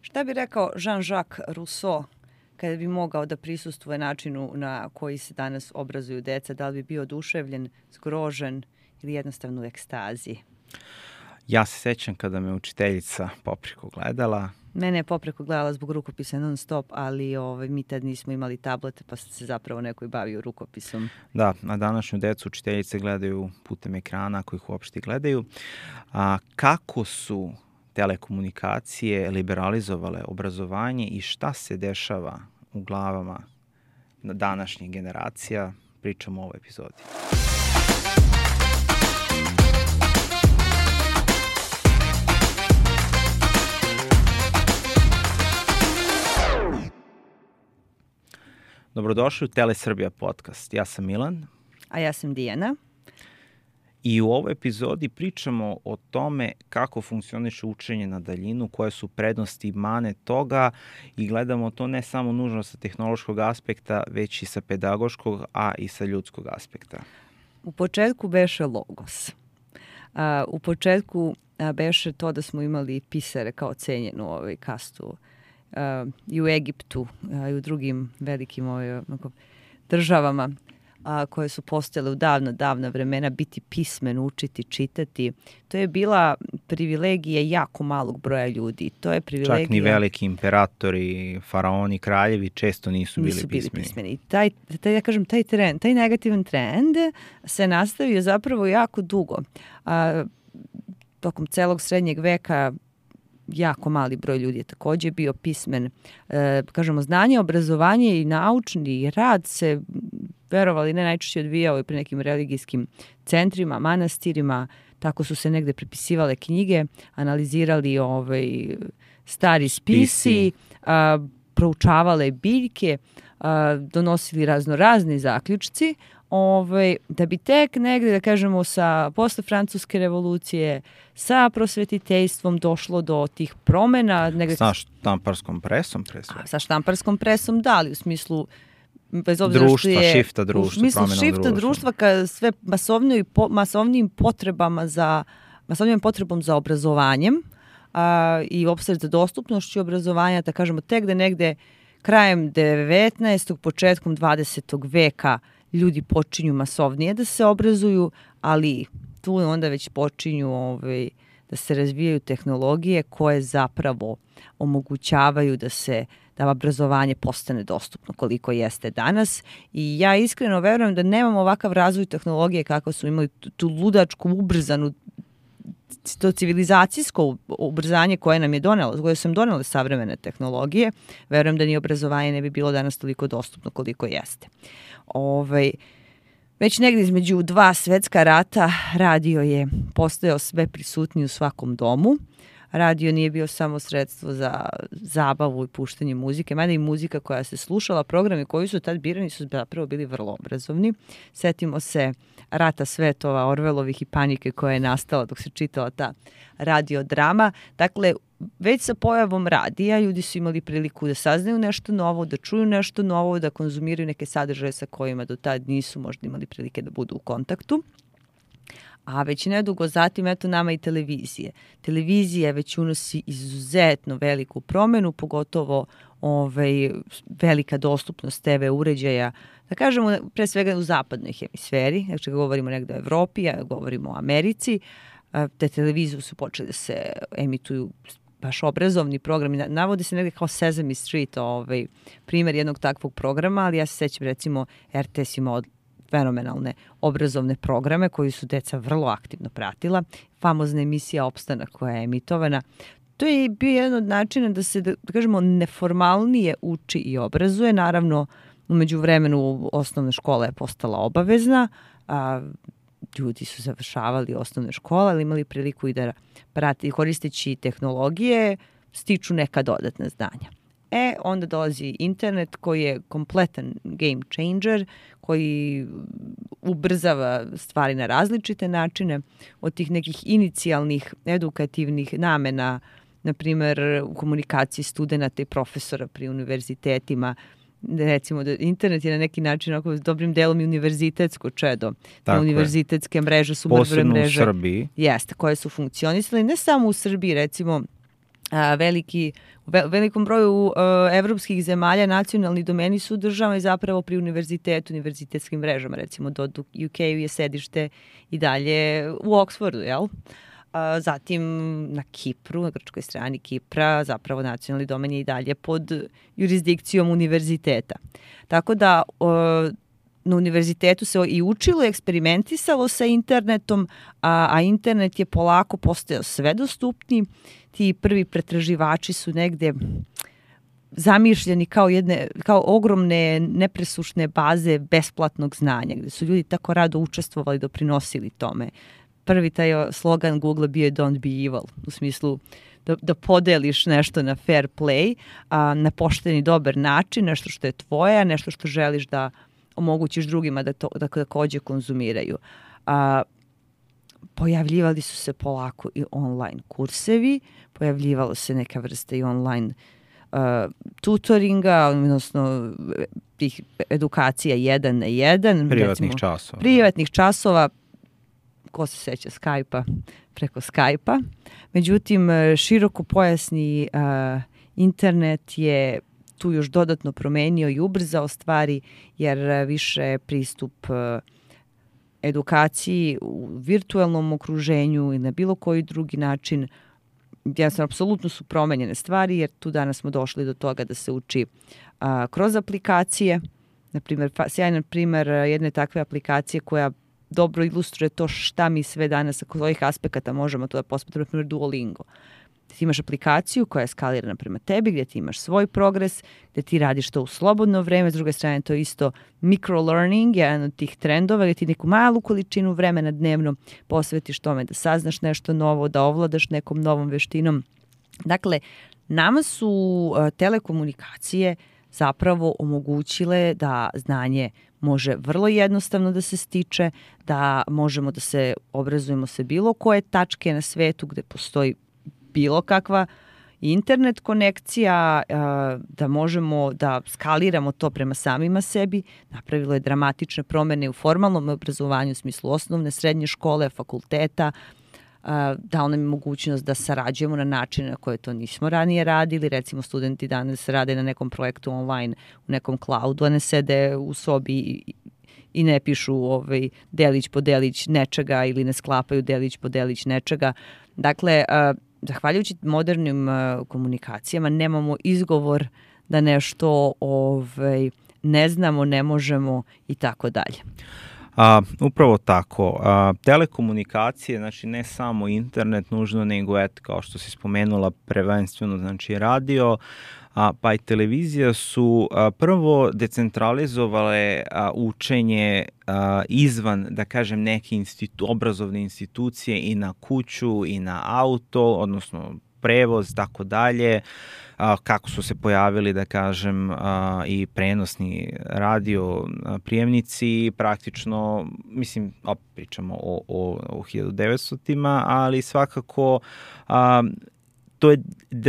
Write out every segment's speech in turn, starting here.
Šta bi rekao Jean-Jacques Rousseau kada bi mogao da prisustvuje načinu na koji se danas obrazuju deca? Da li bi bio oduševljen, zgrožen ili jednostavno u ekstazi? Ja se sećam kada me učiteljica popreko gledala. Mene je popreko gledala zbog rukopisa non stop, ali mi tad nismo imali tablete, pa se zapravo neko i bavio rukopisom. Da, na današnju decu učiteljice gledaju putem ekrana, ako ih uopšte gledaju. Kako su telekomunikacije liberalizovale obrazovanje i šta se dešava u glavama današnjih generacija, pričamo u ovoj epizodi. Dobrodošli u Telesrbija podcast. Ja sam Milan. A ja sam Dijana. I u ovoj epizodi pričamo o tome kako funkcioniše učenje na daljinu, koje su prednosti i mane toga i gledamo to ne samo nužno sa tehnološkog aspekta, već i sa pedagoškog, a i sa ljudskog aspekta. U početku beše logos. U početku beše to da smo imali pisare kao cenjenu kastu i u Egiptu i u drugim velikim državama koje su postojale u davna vremena, biti pismen, učiti, čitati. To je bila privilegija jako malog broja ljudi. To je privilegija... Čak ni veliki imperatori, faraoni, kraljevi često nisu bili pismeni. I taj negativan trend se nastavio zapravo jako dugo. Tokom celog srednjeg veka jako mali broj ljudi je takođe bio pismen. Znanje, obrazovanje i naučni rad se, verovali ne, najčešće odvijao i pri nekim religijskim centrima, manastirima. Tako su se negde prepisivale knjige, analizirali stari spisi, proučavale biljke, donosili razni zaključci, da bi tek negde, posle Francuske revolucije, sa prosvetiteljstvom došlo do tih promena. Sa štamparskom presom, pre svega. Sa štamparskom presom, da, ali u smislu bez obzira društva, šifta društva, u smislu šifta društva, ka sve masovnijim potrebom za obrazovanjem i uopšte za dostupnošću obrazovanja, da kažemo tek da negde krajem 19. početkom 20. veka ljudi počinju masovnije da se obrazuju, ali tu onda već počinju da se razvijaju tehnologije koje zapravo omogućavaju da obrazovanje postane dostupno koliko jeste danas. I ja iskreno verujem da nemamo ovakav razvoj tehnologije kako su imali tu ludačku, ubrzanu, to civilizacijsko ubrzanje koje nam je koje su nam donele savremene tehnologije. Verujem da ni obrazovanje ne bi bilo danas toliko dostupno koliko jeste. Već negdje između dva svetska rata radio je postojao sve prisutniji u svakom domu. Radio nije bio samo sredstvo za zabavu i puštanje muzike, mada i muzika koja se slušala, programi koji su tad birani su zapravo bili vrlo obrazovni. Setimo se Rata svetova, Orvelovih i Panike koja je nastala dok se čitala ta radiodrama. Dakle, već sa pojavom radija ljudi su imali priliku da saznaju nešto novo, da čuju nešto novo, da konzumiraju neke sadržaje sa kojima do tad nisu možda imali prilike da budu u kontaktu. A već nedugo zatim, eto nama i televizije. Televizija već unosi izuzetno veliku promenu, pogotovo velika dostupnost TV uređaja, da kažemo pre svega u zapadnoj hemisferi, znači govorimo negde o Evropi, govorimo o Americi, te televizije su počeli da se emituju baš obrazovni programi, navode se negde kao Sesame Street, primjer jednog takvog programa, ali ja se sećam recimo RTS imao fenomenalne obrazovne programe koji su deca vrlo aktivno pratila. Famozna emisija Opstanak koja je emitovana. To je bio jedan od načina da se, da kažemo, neformalnije uči i obrazuje. Naravno, u međuvremenu osnovna škola je postala obavezna, ljudi su završavali osnovne škole, ali imali priliku i da prati, koristeći tehnologije, stiču neka dodatna znanja. Onda dolazi internet koji je kompletan game changer, koji ubrzava stvari na različite načine, od tih nekih inicijalnih edukativnih namena, na primjer u komunikaciji studenta i profesora pri univerzitetima. Recimo da internet je na neki način ako dobrim delom i univerzitetsko čedo. Tako univerzitetske mreže su posebno mreže, u Srbiji. Jeste, koje su funkcionisale ne samo u Srbiji, recimo velikom broju evropskih zemalja nacionalni domeni su državni zapravo pri univerzitetu, univerzitetskim mrežama. Recimo do UK je sedište i dalje u Oxfordu, jel? Zatim na Kipru, na grčkoj strani Kipra, zapravo nacionalni domen je i dalje pod jurisdikcijom univerziteta. Tako da na univerzitetu se i učilo i eksperimentisalo sa internetom, a internet je polako postajao sve dostupniji. Ti prvi pretraživači su negde zamišljeni kao ogromne nepresušne baze besplatnog znanja, gde su ljudi tako rado učestvovali, doprinosili tome. Prvi taj slogan Google bio je Don't be evil, u smislu da podeliš nešto na fair play, na pošteni dobar način, nešto što je tvoje, nešto što želiš da omogućiš drugima da takođe konzumiraju. Pojavljivali su se polako i online kursevi, pojavljivalo se neka vrsta i online tutoringa, odnosno tih edukacija 1 na 1. Privatnih časova. Ko se seća Skype-a, preko Skype-a. Međutim, širokopojasni internet je tu još dodatno promenio i ubrzao stvari, jer više pristup edukaciji u virtualnom okruženju i na bilo koji drugi način, jednostavno, apsolutno su promenjene stvari, jer tu danas smo došli do toga da se uči kroz aplikacije. Naprimjer, sjajan primer jedne takve aplikacije koja dobro ilustruje to šta mi sve danas sa kojih aspekata možemo to da posmatramo, naprimjer Duolingo. Ti imaš aplikaciju koja je skalirana prema tebi, gdje ti imaš svoj progres, gdje ti radiš to u slobodno vreme, s druge strane to je isto microlearning, jedan od tih trendova, gdje ti neku malu količinu vremena dnevno posvetiš tome da saznaš nešto novo, da ovladaš nekom novom veštinom. Dakle, nama su telekomunikacije zapravo omogućile da znanje može vrlo jednostavno da se stiče, da možemo da se obrazujemo sa bilo koje tačke na svetu gde postoji bilo kakva internet konekcija, da možemo da skaliramo to prema samima sebi. Napravilo je dramatične promene u formalnom obrazovanju u smislu osnovne, srednje škole, fakulteta, dao nam je mogućnost da sarađujemo na način na koje to nismo ranije radili. Recimo, studenti danas rade na nekom projektu online u nekom cloudu, a ne sede u sobi i ne pišu delić po delić nečega ili ne sklapaju delić po delić nečega. Dakle, zahvaljujući modernim komunikacijama nemamo izgovor da nešto ne znamo, ne možemo i tako dalje. Upravo tako. Telekomunikacije, znači ne samo internet nužno, nego kao što si spomenula, prvenstveno znači radio, pa i televizija su prvo decentralizovale učenje izvan, da kažem, neke obrazovne institucije i na kuću i na auto, odnosno prevoz, tako dalje, kako su se pojavili, da kažem, i prenosni radio prijemnici, praktično, mislim, pričamo o 1900-tima, ali svakako to je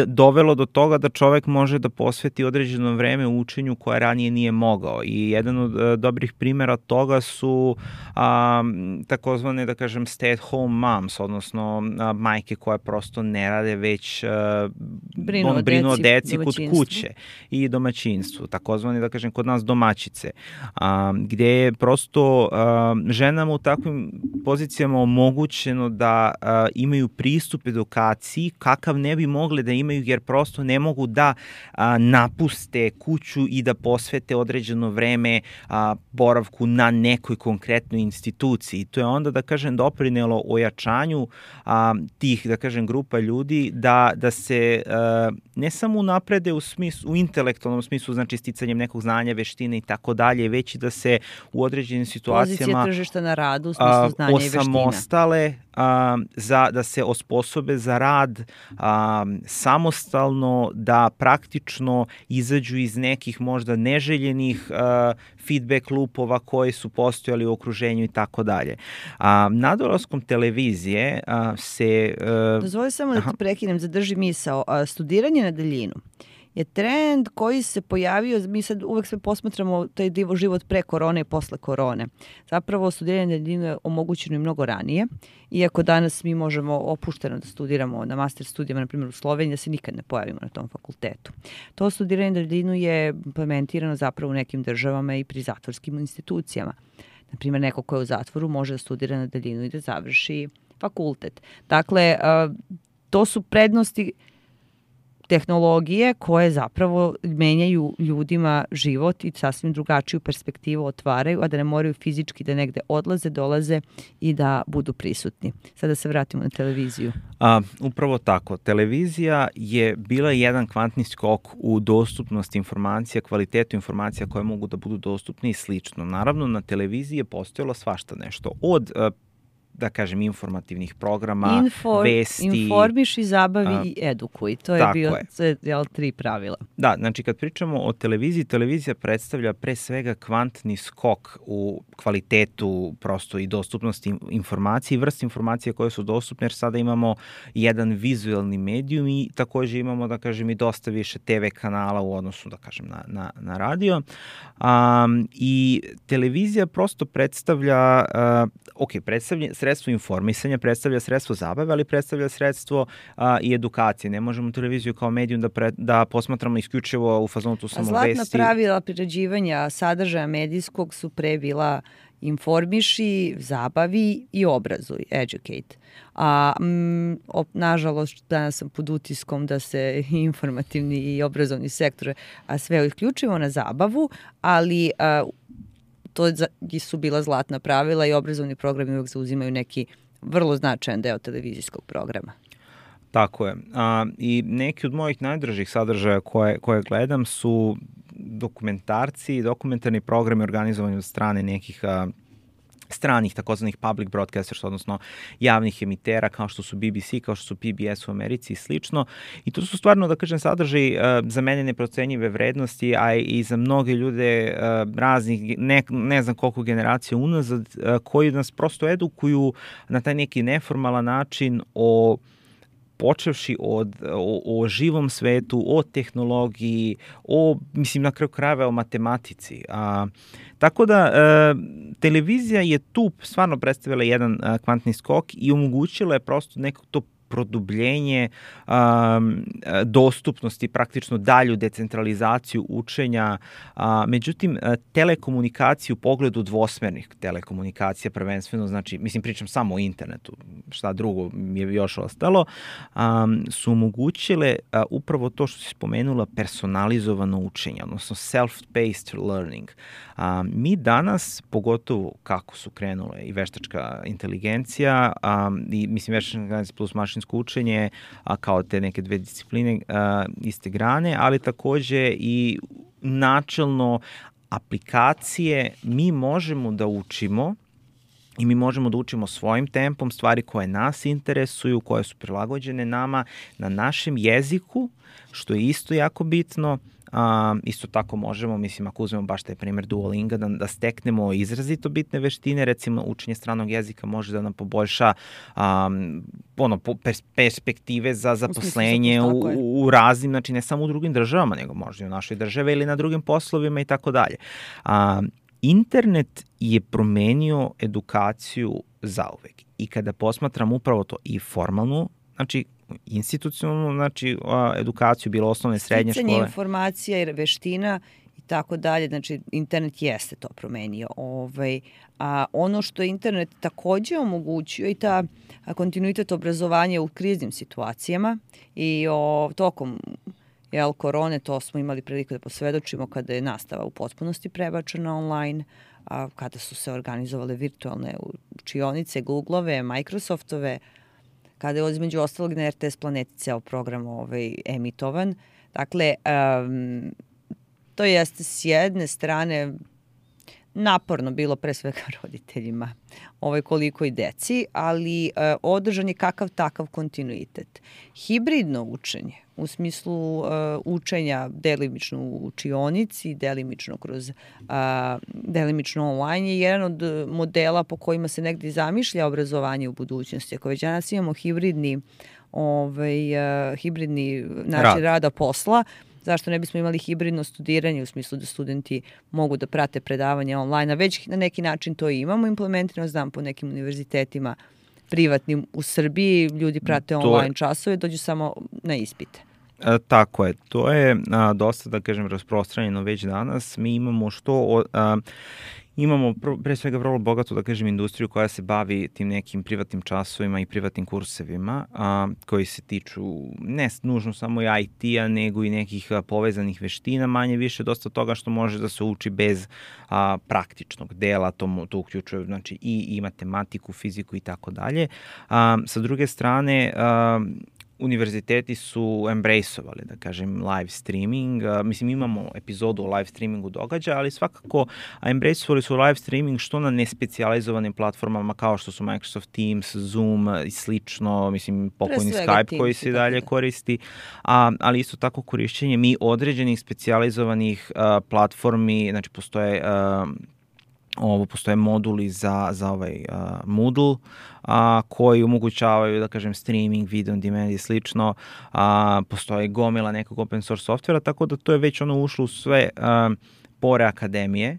dovelo do toga da čovek može da posveti određeno vreme u učenju koje ranije nije mogao. I jedan od dobrih primjera toga su takozvane, da kažem, stay-at-home moms, odnosno majke koje prosto ne rade, već brinu o deci kod kuće i domaćinstvu. Takozvane, da kažem, kod nas domaćice. Gde je prosto ženama u takvim pozicijama omogućeno da imaju pristup edukaciji kakav ne bi mogle da imaju, jer prosto ne mogu da napuste kuću i da posvete određeno vreme boravku na nekoj konkretnoj instituciji. To je onda, da kažem, doprinelo ojačanju tih, da kažem, grupa ljudi da se ne samo unaprede u intelektualnom smislu, znači sticanjem nekog znanja, veštine i tako dalje, već i da se u određenim situacijama pozicija tržišta na radu u smislu znanja i veština osamostale, da se osposobe za rad samostalno, da praktično izađu iz nekih možda neželjenih feedback loopova koji su postojali u okruženju i tako dalje. Nadolaskom televizije se... Dozvoli samo da te prekinem, zadrži misao. Studiranje na daljinu je trend koji se pojavio, mi sad uvek sve posmatramo taj život pre korone i posle korone. Zapravo studiranje na daljinu je omogućeno i mnogo ranije, iako danas mi možemo opušteno da studiramo na master studijama, na primjer u Sloveniji, da se nikad ne pojavimo na tom fakultetu. To studiranje na daljinu je implementirano zapravo u nekim državama i pri zatvorskim institucijama. Na primjer, neko ko je u zatvoru može da studira na daljinu i da završi fakultet. Dakle, to su prednosti tehnologije koje zapravo menjaju ljudima život i sasvim drugačiju perspektivu otvaraju, a da ne moraju fizički da negde odlaze, dolaze i da budu prisutni. Sada se vratimo na televiziju. Upravo tako. Televizija je bila jedan kvantni skok u dostupnosti informacija, kvalitetu informacija koje mogu da budu dostupne i slično. Naravno, na televiziji je postojalo svašta nešto. Od da kažem, informativnih programa, vesti. Informiši, zabavi i edukuj. To je bio 3 pravila. Da, znači kad pričamo o televiziji, televizija predstavlja pre svega kvantni skok u kvalitetu prosto i dostupnosti informacije i vrste informacije koje su dostupne, jer sada imamo jedan vizuelni medijum i takođe imamo, da kažem, i dosta više TV kanala u odnosu, da kažem, na radio. I televizija prosto predstavlja, predstavlja sredstvo informisanja, predstavlja sredstvo zabave, ali predstavlja sredstvo i edukacije. Ne možemo televiziju kao medijum da posmatramo isključivo u fazonu tu samo vesti. Zlatna pravila priređivanja sadržaja medijskog su pre bila informiši, zabavi i obrazuj, educate. Nažalost, danas sam pod utiskom da se informativni i obrazovni sektor sve isključivo na zabavu, ali to su bila zlatna pravila i obrazovni programi uvek zauzimaju neki vrlo značajan deo televizijskog programa. Tako je. I neki od mojih najdražih sadržaja koje gledam su dokumentarci, dokumentarni programi organizovani od strane nekih stranih takozvanih public broadcasters, odnosno javnih emitera kao što su BBC, kao što su PBS u Americi i slično. I to su stvarno, da kažem, sadržaji za mene neprocenjive vrednosti, a i za mnoge ljude raznih, ne znam koliko generacija unazad, koji nas prosto edukuju na taj neki neformalan način počevši o živom svetu, o tehnologiji, na kraju krajeva o matematici. Tako da, televizija je tu stvarno predstavila jedan kvantni skok i omogućila je prosto neko to produbljenje dostupnosti, praktično dalju decentralizaciju učenja. Međutim, telekomunikaciju u pogledu dvosmernih telekomunikacija prvenstveno, znači, pričam samo o internetu, šta drugo mi je još ostalo, su omogućile upravo to što si spomenula, personalizovano učenje, odnosno self-paced learning. Mi danas, pogotovo kako su krenule i veštačka inteligencija, i veštačka inteligencija plus mašinsko učenje, kao te neke dve discipline iste grane, ali takođe i načelno aplikacije mi možemo da učimo i mi možemo da učimo svojim tempom stvari koje nas interesuju, koje su prilagođene nama na našem jeziku, što je isto jako bitno. Isto tako možemo, ako uzmemo baš taj primer Duolinga, da steknemo izrazito bitne veštine, recimo učenje stranog jezika može da nam poboljša perspektive za zaposlenje u raznim, znači ne samo u drugim državama, nego možda i u našoj državi ili na drugim poslovima i tako dalje. Internet je promenio edukaciju zauvek i kada posmatram upravo to i formalnu, znači institucionalnu, edukaciju, bilo osnovne, srednje škole. Sticanje informacija i veština i tako dalje, znači internet jeste to promenio. A ono što je internet takođe omogućio i ta kontinuitet obrazovanja u kriznim situacijama i tokom korone, to smo imali priliku da posvedočimo kada je nastava u potpunosti prebačena online, kada su se organizovale virtualne učionice, Google-ove, Microsoftove, kada je između ostalog na RTS Planeti ceo program emitovan. Dakle, to jeste s jedne strane naporno bilo pre svega roditeljima, koliko i deci, ali održan je kakav takav kontinuitet. Hibridno učenje, u smislu učenja delimično u učionici, delimično online, je jedan od modela po kojima se negdje zamišlja obrazovanje u budućnosti. Ako već danas imamo hibridni način rada posla, zašto ne bismo imali hibridno studiranje u smislu da studenti mogu da prate predavanje online, a već na neki način to imamo implementirano, znam po nekim univerzitetima privatnim u Srbiji, ljudi prate online časove, dođu samo na ispite. Tako je, to je dosta, da kažem, rasprostranjeno već danas. Mi imamo imamo pre svega vrlo bogatu, da kažem, industriju koja se bavi tim nekim privatnim časovima i privatnim kursevima koji se tiču ne nužno samo i IT-a, nego i nekih povezanih veština, manje više dosta toga što može da se uči bez praktičnog dela, to uključuje znači i matematiku, fiziku i tako dalje. Sa druge strane, univerziteti su embraceovali, da kažem, live streaming. Mislim, imamo epizodu o live streamingu događaja, ali svakako embraceovali su live streaming što na nespecijalizovanim platformama kao što su Microsoft Teams, Zoom i slično, mislim, pokojni Skype koji se dalje koristi, ali isto tako korišćenje mi određenih specijalizovanih platformi, znači postoje moduli za ovaj Moodle koji omogućavaju, da kažem, streaming, video on demand i slično. Postoje gomila nekog open source softvera, tako da to je već ušlo u sve pore akademije.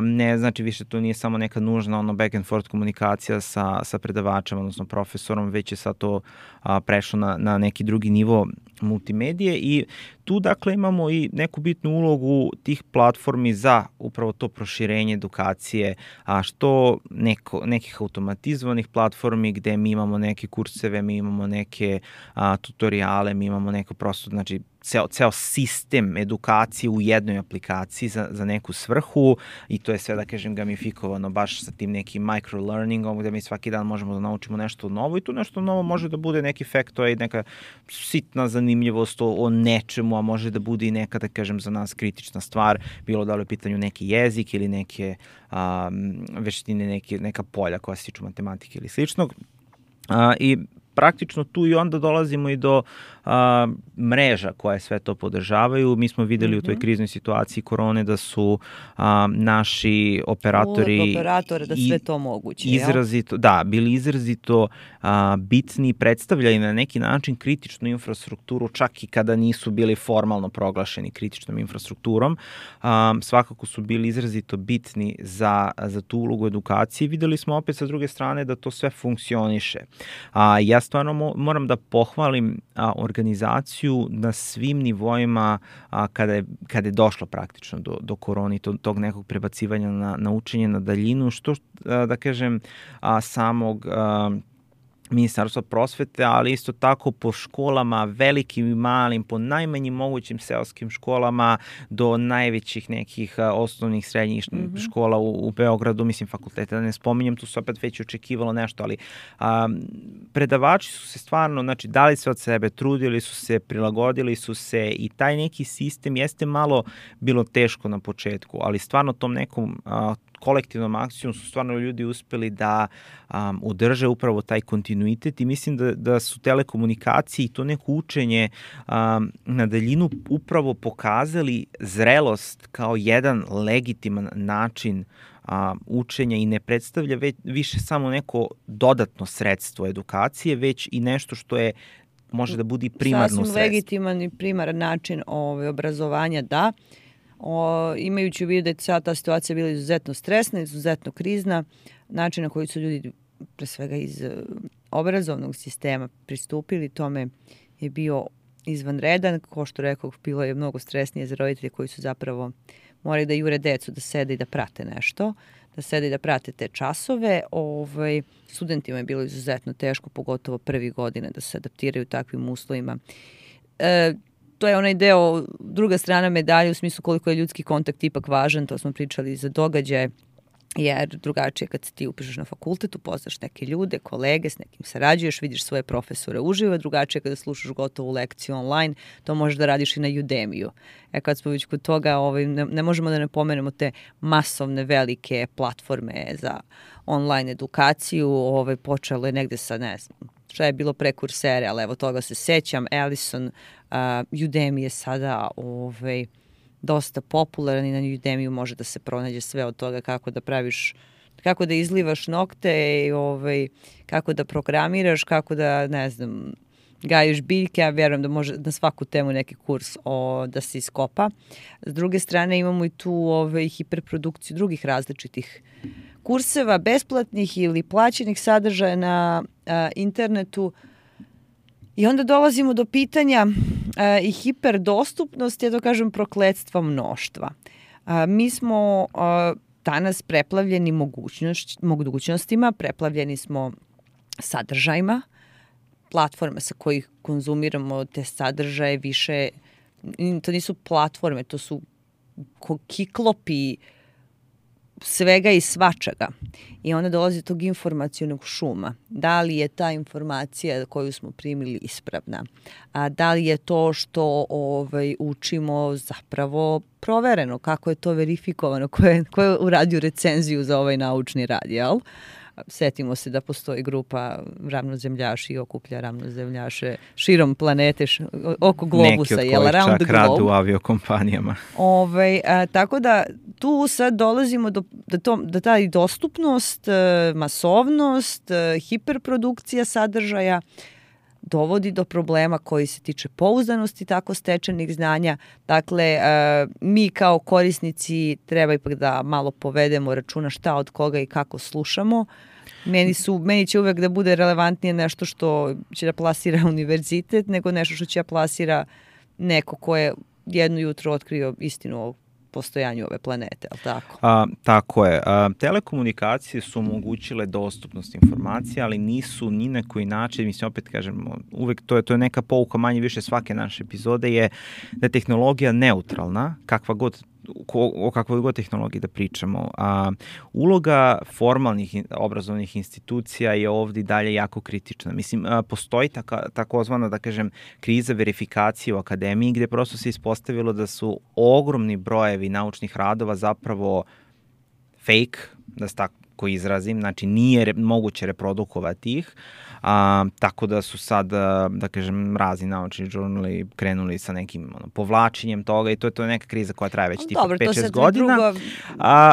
Ne znači više to nije samo neka nužna back and forth komunikacija sa predavačem, odnosno profesorom, već je sad to prešlo na neki drugi nivo multimedije i tu dakle imamo i neku bitnu ulogu tih platformi za upravo to proširenje edukacije, što nekih automatizovanih platformi gde mi imamo neke kurseve, mi imamo neke tutoriale, mi imamo neko prosto, znači ceo sistem edukacije u jednoj aplikaciji za neku svrhu i to je sve, da kažem, gamifikovano baš sa tim nekim microlearningom gde mi svaki dan možemo da naučimo nešto novo i tu nešto novo može da bude neki faktor i neka sitna zanimljivost o nečemu, a može da bude i neka, da kažem, za nas kritična stvar, bilo da li u pitanju neki jezik ili neke veštine, neka polja koja se tiču matematike ili sličnog. I praktično tu i onda dolazimo i do mreža koje sve to podržavaju. Mi smo videli u toj kriznoj situaciji korone da su naši operatori da sve to moguće. Izrazito, da, bili izrazito bitni, predstavljali na neki način kritičnu infrastrukturu, čak i kada nisu bili formalno proglašeni kritičnom infrastrukturom. Svakako su bili izrazito bitni za tu ulogu edukacije. Videli smo opet sa druge strane da to sve funkcioniše. Ja stvarno moram da pohvalim organizaciju na svim nivoima kada je došlo praktično do korone i tog nekog prebacivanja na učenje na daljinu, što da kažem samog Ministarstva prosvete, ali isto tako po školama, velikim i malim, po najmanjim mogućim seoskim školama do najvećih nekih osnovnih, srednjih škola u Beogradu, mislim fakultete, da ne spominjem, tu se opet već očekivalo nešto, ali predavači su se stvarno, znači, dali sve od sebe, trudili su se, prilagodili su se i taj neki sistem jeste malo bilo teško na početku, ali stvarno tom nekom kolektivnom akcijom su stvarno ljudi uspeli da održe upravo taj kontinuitet i mislim da su telekomunikacije i to neko učenje na daljinu upravo pokazali zrelost kao jedan legitiman način učenja i ne predstavlja više samo neko dodatno sredstvo edukacije, već i nešto što je može da bude primarno sredstvo. Sasvim legitiman i primaran način obrazovanja, da. Imajući u vidu da je cijela ta situacija bila izuzetno stresna, izuzetno krizna, način na koji su ljudi pre svega iz obrazovnog sistema pristupili tome je bio izvanredan. Ko što rekao, bilo je mnogo stresnije za roditelje koji su zapravo morali da jure decu da sede i da prate nešto, da sede i da prate te časove. Studentima je bilo izuzetno teško, pogotovo prvi godine, da se adaptiraju takvim uslovima. To je onaj deo, druga strana medalje u smislu koliko je ljudski kontakt ipak važan, to smo pričali za događaje, jer drugačije kad se ti upišeš na fakultet, upoznaš neke ljude, kolege, s nekim sarađuješ, vidiš svoje profesore uživo, drugačije kada slušaš gotovu lekciju online, to možeš da radiš i na Udemiju. Kad smo već kod toga, ne možemo da ne pomenemo te masovne velike platforme za online edukaciju, počelo je negde sa, ne znam, šta je bilo pre Coursere, ali evo toga se sećam, Ellison, Udemy je sada dosta popularan i na Udemiju može da se pronađe sve od toga kako da izlivaš nokte, kako da programiraš, kako da, ne znam, gajiš biljke, ja vjerujem da može na svaku temu neki kurs da se iskopa. S druge strane imamo i tu hiperprodukciju drugih različitih kurseva, besplatnih ili plaćenih sadržaja na internetu. I onda dolazimo do pitanja i hiperdostupnosti, ja to kažem prokletstva mnoštva. Mi smo danas preplavljeni mogućnostima, preplavljeni smo sadržajima, platforme sa kojih konzumiramo te sadržaje više, to nisu platforme, to su kiklopi svega i svačega. I onda dolazi do tog informacionog šuma. Da li je ta informacija koju smo primili ispravna? Da li je to što učimo zapravo provereno? Kako je to verifikovano? Ko je uradio recenziju za ovaj naučni rad, jel? Setimo se da postoji grupa ravnozemljaši i okuplja ravnozemljaše širom planete, oko globusa. Neki od kojih čak rade u aviokompanijama. Tako da tu sad dolazimo do taj dostupnost, masovnost, hiperprodukcija sadržaja dovodi do problema koji se tiče pouzdanosti tako stečenih znanja. Dakle, mi kao korisnici treba ipak da malo povedemo računa šta od koga i kako slušamo. Meni će uvek da bude relevantnije nešto što će da plasira univerzitet nego nešto što će da plasira neko ko je jedno jutro otkrio istinu o postojanju ove planete, ali tako? Tako je. Telekomunikacije su omogućile dostupnost informacija, ali nisu ni na koji način, mislim, opet kažemo, uvek to je neka pouka manje više svake naše epizode, je da je tehnologija neutralna, o kakvoj god tehnologiji da pričamo. Uloga formalnih obrazovnih institucija je ovdje dalje jako kritična. Mislim, postoji takozvana, da kažem, kriza verifikacije u akademiji, gde prosto se ispostavilo da su ogromni brojevi naučnih radova zapravo fake, da se tako izrazim, znači nije moguće reprodukovati ih, tako da su sad, da kažem, razni naučni žurnali krenuli sa nekim povlačenjem toga i to je neka kriza koja traje već tipa 5-6 godina.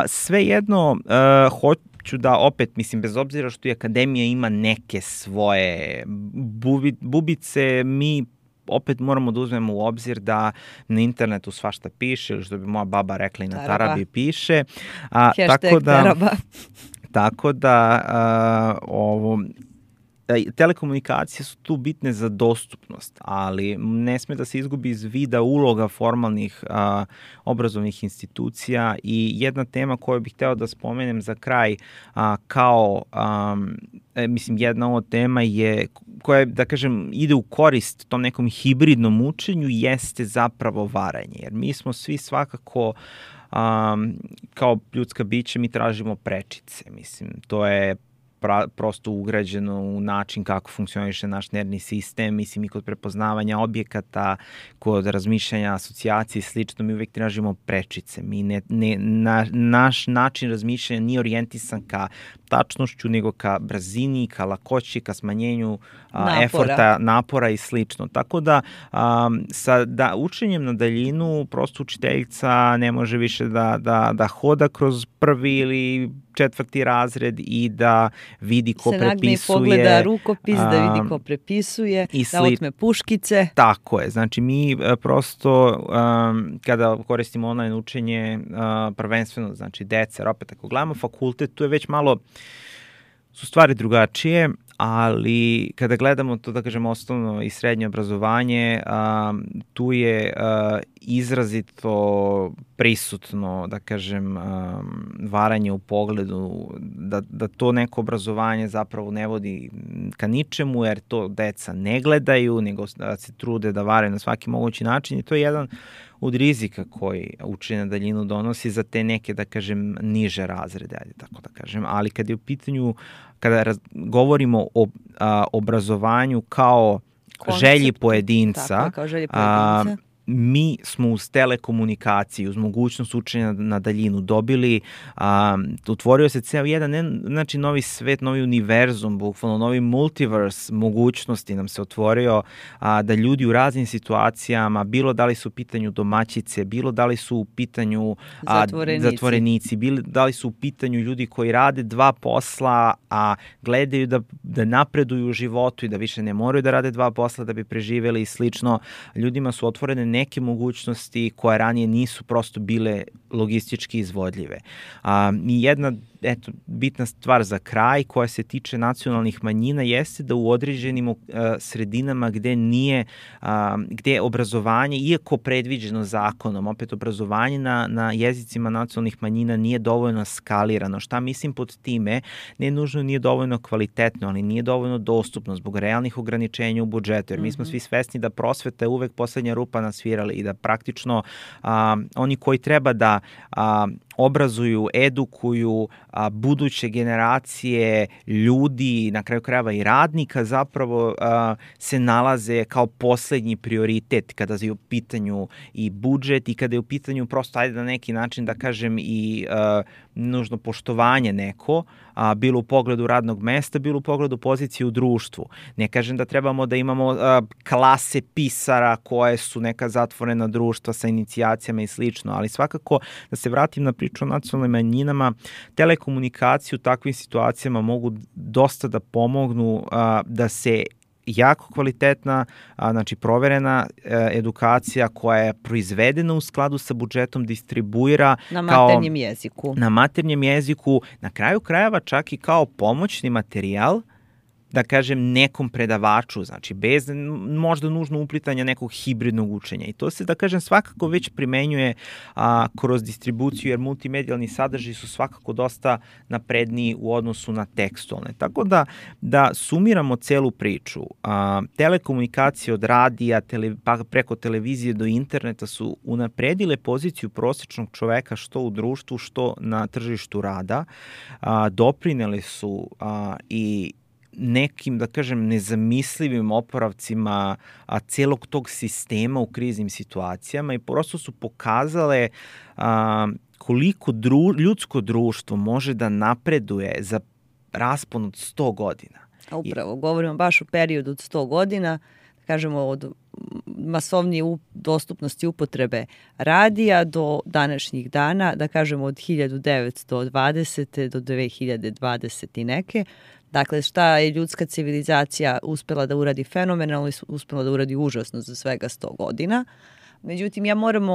Svejedno, hoću da opet, mislim, bez obzira što i akademija ima neke svoje bubice, mi opet moramo da uzmemo u obzir da na internetu svašta piše, ili što bi moja baba rekla i na tarabi piše. Hashtag taraba. Tako da telekomunikacije su tu bitne za dostupnost, ali ne sme da se izgubi iz vida uloga formalnih obrazovnih institucija i jedna tema koju bih hteo da spomenem za kraj mislim, jedna od tema je koja, da kažem, ide u korist tom nekom hibridnom učenju jeste zapravo varanje, jer mi smo svi svakako kao ljudska bića mi tražimo prečice, mislim, to je prosto ugrađeno u način kako funkcioniše naš nervni sistem, mislim i kod prepoznavanja objekata, kod razmišljanja, asocijacije i slično, mi uvijek tražimo prečice. Naš način razmišljanja nije orijentisan ka tačnošću, nego ka brzini, ka lakoći, ka smanjenju eforta, napora i slično. Tako da sa učenjem na daljinu prosto učiteljica ne može više da hoda kroz prvi ili 4. razred i da vidi ko prepisuje. Se nagne i pogleda rukopis, da vidi ko prepisuje, da otme puškice. Tako je. Znači mi prosto kada koristimo online učenje prvenstveno, znači deca, opet ako gledamo fakultet, tu je već malo su stvari drugačije, ali kada gledamo to, da kažem, osnovno i srednje obrazovanje, tu je izrazito prisutno, da kažem, varanje u pogledu, da to neko obrazovanje zapravo ne vodi ka ničemu, jer to deca ne gledaju, nego se trude da vare na svaki mogući način i to je jedan od rizika koji učenje na daljinu donosi za te neke, da kažem, niže razrede, ajde tako da kažem, ali kad je u pitanju, kada govorimo o obrazovanju kao želji pojedinca, mi smo uz telekomunikaciju, uz mogućnost učenja na daljinu dobili, otvorio se ceo jedan, znači novi svet, novi univerzum, bukvalno novi multiverse mogućnosti nam se otvorio, da ljudi u raznim situacijama, bilo da li su u pitanju domaćice, bilo da li su u pitanju zatvorenici, bilo da li su u pitanju ljudi koji rade dva posla, a gledaju da napreduju u životu i da više ne moraju da rade dva posla da bi preživeli i slično. Ljudima su otvorene neke mogućnosti koje ranije nisu prosto bile logistički izvodljive. I jedna bitna stvar za kraj koja se tiče nacionalnih manjina jeste da u određenim sredinama gde je obrazovanje, iako predviđeno zakonom, opet obrazovanje na jezicima nacionalnih manjina nije dovoljno skalirano. Šta mislim pod time? Ne nužno nije dovoljno kvalitetno, ali nije dovoljno dostupno zbog realnih ograničenja u budžetu, jer mi smo svi svesni da prosveta je uvek poslednja rupa na svirali i da praktično oni koji treba da obrazuju, edukuju buduće generacije ljudi, na kraju krajeva i radnika, zapravo se nalaze kao poslednji prioritet kada je u pitanju i budžet i kada je u pitanju prosto, ajde na neki način da kažem i nužno poštovanje neko, bilo u pogledu radnog mesta, bilo u pogledu pozicije u društvu. Ne kažem da trebamo da imamo klase pisara koje su neka zatvorena društva sa inicijacijama i slično, ali svakako da se vratim na priču o nacionalnim manjinama, telekomunikacije u takvim situacijama mogu dosta da pomognu da se jako kvalitetna, znači proverena edukacija koja je proizvedena u skladu sa budžetom distribuira na maternjem jeziku. Na maternjem jeziku, na kraju krajeva čak i kao pomoćni materijal, da kažem, nekom predavaču, znači bez možda nužno uplitanja nekog hibridnog učenja. I to se, da kažem, svakako već primenjuje kroz distribuciju, jer multimedijalni sadržaji su svakako dosta napredniji u odnosu na tekstualne. Tako da sumiramo celu priču. Telekomunikacije od radija, pa preko televizije do interneta su unapredile poziciju prosečnog čoveka što u društvu, što na tržištu rada. Doprinele su i nekim, da kažem, nezamislivim oporavcima celog tog sistema u kriznim situacijama i prosto su pokazale koliko ljudsko društvo može da napreduje za raspon od 100 godina. Upravo, govorimo baš o periodu od 100 godina, da kažemo od masovnije dostupnosti upotrebe radija do današnjih dana, da kažemo od 1920. do 2020. i neke. Dakle, šta je ljudska civilizacija uspela da uradi fenomenalno i uspela da uradi užasno za svega 100 godina. Međutim, ja moram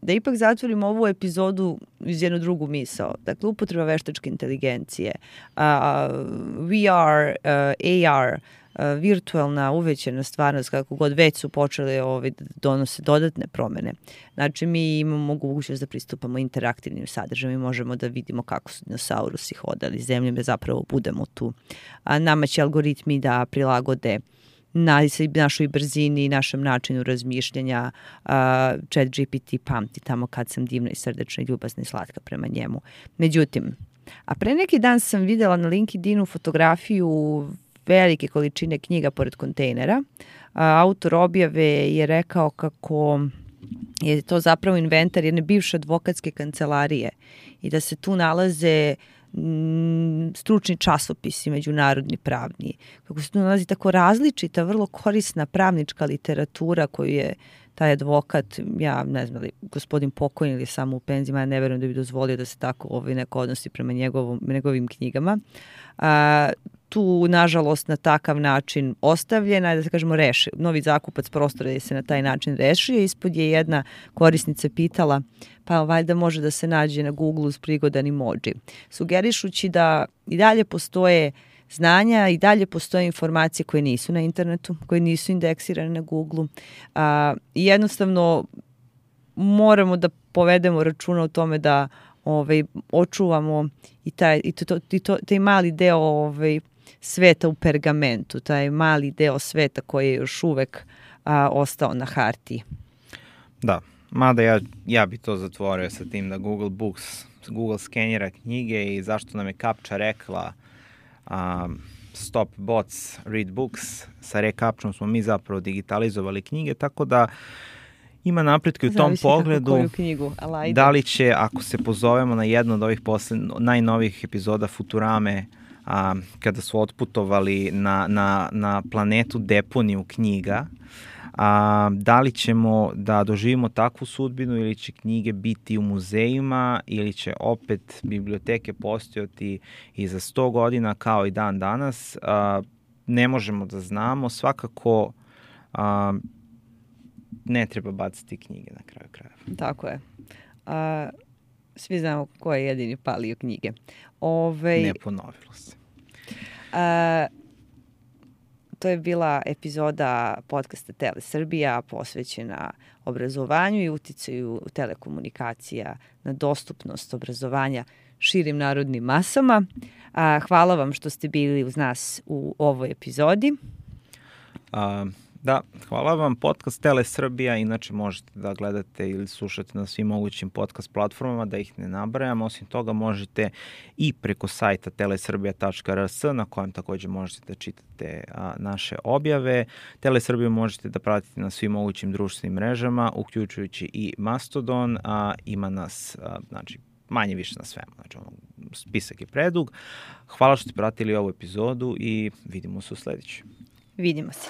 da ipak zatvorim ovu epizodu iz jednu drugu misao. Dakle, upotreba veštačke inteligencije, VR, AR, virtualna uvećana stvarnost, kako god već su počele da donose dodatne promene. Znači, mi imamo mogućnost da pristupamo interaktivnim sadržajima i možemo da vidimo kako su dinosaurusi hodali zemljom, da zapravo budemo tu. Nama će algoritmi da prilagode našoj brzini i našem načinu razmišljanja. ChatGPT pamti tamo kad sam divna i srdečna i ljubazna i slatka prema njemu. Međutim, a pre neki dan sam videla na LinkedInu fotografiju velike količine knjiga pored kontejnera. Autor objave je rekao kako je to zapravo inventar jedne bivše advokatske kancelarije i da se tu nalaze stručni časopisi, međunarodni pravni, kako se tu nalazi tako različita, vrlo korisna pravnička literatura koju je taj advokat, ja ne znam li gospodin pokojni ili samo u penzijama, ja ne verujem da bi dozvolio da se tako neko odnosi prema njegovim knjigama. Tu, nažalost, na takav način ostavljena, da se kažemo novi zakupac prostora je se na taj način rešio. Ispod je jedna korisnica pitala, pa valjda može da se nađe na Google uz prigodan emoji. Sugerišući da i dalje postoje znanja i dalje postoje informacije koje nisu na internetu, koje nisu indeksirane na Google. I jednostavno moramo da povedemo računa o tome da očuvamo i taj mali deo sveta u pergamentu, taj mali deo sveta koji je još uvek ostao na hartiji. Da, mada ja bi to zatvorio sa tim da Google skenira knjige i zašto nam je Kapča rekla stop bots, read books, sa rekapčom smo mi zapravo digitalizovali knjige, tako da Ima napretka u tom pogledu. Koju knjigu, ali da li će, ako se pozovemo na jednu od ovih najnovijih epizoda Futurame, kada su otputovali na planetu deponiju knjiga, da li ćemo da doživimo takvu sudbinu ili će knjige biti u muzejima ili će opet biblioteke postojati i za 100 godina kao i dan danas, ne možemo da znamo. Svakako ne treba baciti knjige na kraju krajeva. Tako je. Svi znamo ko je jedini palio knjige. Ne ponovilo se. To je bila epizoda podcasta Tele Srbija posvećena obrazovanju i uticaju telekomunikacija na dostupnost obrazovanja širim narodnim masama. Hvala vam što ste bili uz nas u ovoj epizodi. Da, hvala vam. Podcast Tele Srbija, inače možete da gledate ili slušate na svim mogućim podcast platformama, da ih ne nabrajam. Osim toga možete i preko sajta telesrbija.rs na kojem takođe možete da čitate naše objave. Tele Srbiju možete da pratite na svim mogućim društvenim mrežama, uključujući i Mastodon. Ima nas, znači, manje više na svemu. Znači, spisak je predug. Hvala što ste pratili ovu epizodu i vidimo se u sledećoj. Vidimo se.